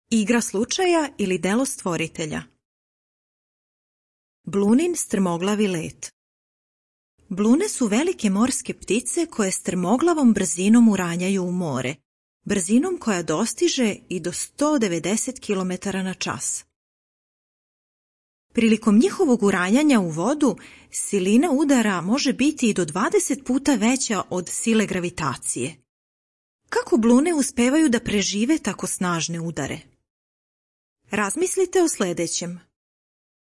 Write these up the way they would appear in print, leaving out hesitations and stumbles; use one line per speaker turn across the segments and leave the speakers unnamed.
Igra slučaja ili delo stvoritelja. Blunin strmoglavi let. Blune su velike morske ptice koje strmoglavom brzinom uranjaju u more, brzinom koja dostiže i do 190 km na čas. Prilikom njihovog uranjanja u vodu, silina udara može biti i do 20 puta veća od sile gravitacije. Kako blune uspevaju da prežive tako snažne udare? Razmislite o sljedećem.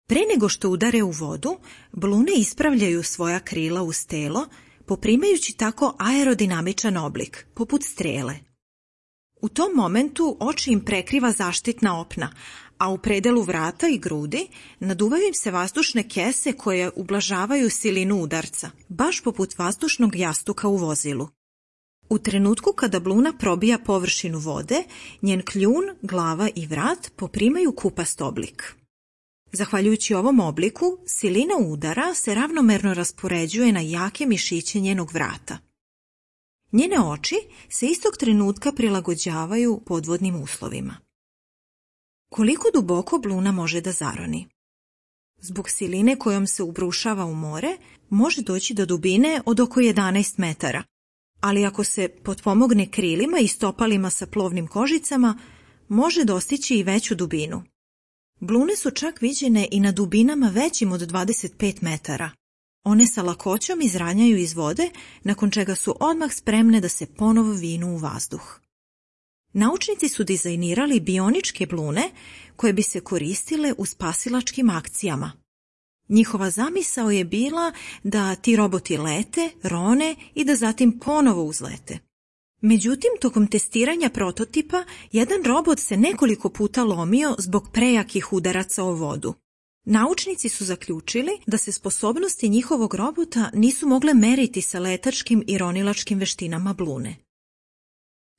Pre nego što udare u vodu, blune ispravljaju svoja krila uz telo, poprimajući tako aerodinamičan oblik, poput strele. U tom momentu oči im prekriva zaštitna opna, a u predelu vrata i grudi naduvaju im se vazdušne kese koje ublažavaju silinu udarca, baš poput vazdušnog jastuka u vozilu. U trenutku kada bluna probija površinu vode, njen kljun, glava i vrat poprimaju kupast oblik. Zahvaljujući ovom obliku, silina udara se ravnomerno raspoređuje na jake mišiće njenog vrata. Njene oči se istog trenutka prilagođavaju podvodnim uslovima. Koliko duboko bluna može da zaroni? Zbog siline kojom se ubrušava u more, može doći do dubine od oko 11 metara, ali ako se potpomogne krilima i stopalima sa plovnim kožicama, može dostići i veću dubinu. Blune su čak viđene i na dubinama većim od 25 metara. One sa lakoćom izranjaju iz vode, nakon čega su odmah spremne da se ponovo vinu u vazduh. Naučnici su dizajnirali bioničke blune koje bi se koristile u spasilačkim akcijama. Njihova zamisao je bila da ti roboti lete, rone i da zatim ponovo uzlete. Međutim, tokom testiranja prototipa, jedan robot se nekoliko puta lomio zbog prejakih udaraca o vodu. Naučnici su zaključili da se sposobnosti njihovog robota nisu mogle meriti sa letačkim i ronilačkim veštinama blune.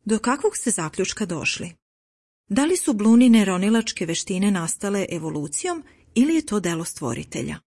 Do kakvog ste zaključka došli? Da li su blunine ronilačke veštine nastale evolucijom ili je to delo stvoritelja?